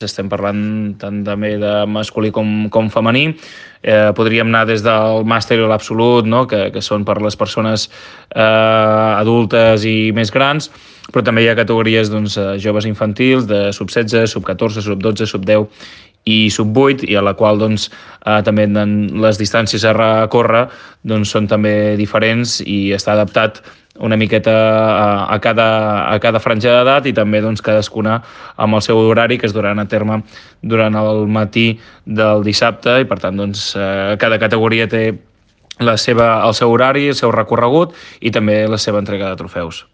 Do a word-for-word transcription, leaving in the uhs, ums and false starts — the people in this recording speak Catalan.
estem parlant tant també de masculí com, com femení. Eh, podríem anar des del màster i l'absolut, no? que, que són per les persones eh, adultes i més grans, però també hi ha categories doncs, joves infantils, de sub setze, sub catorze, sub dotze, sub deu i sub vuit, i a la qual doncs, eh, també les distàncies a recórrer doncs, són també diferents i està adaptat una miqueta a, a, cada, a cada franja d'edat, i també doncs, cadascuna amb el seu horari que es duran a terme durant el matí del dissabte, i per tant doncs, eh, cada categoria té la seva, el seu horari, el seu recorregut i també la seva entrega de trofeus.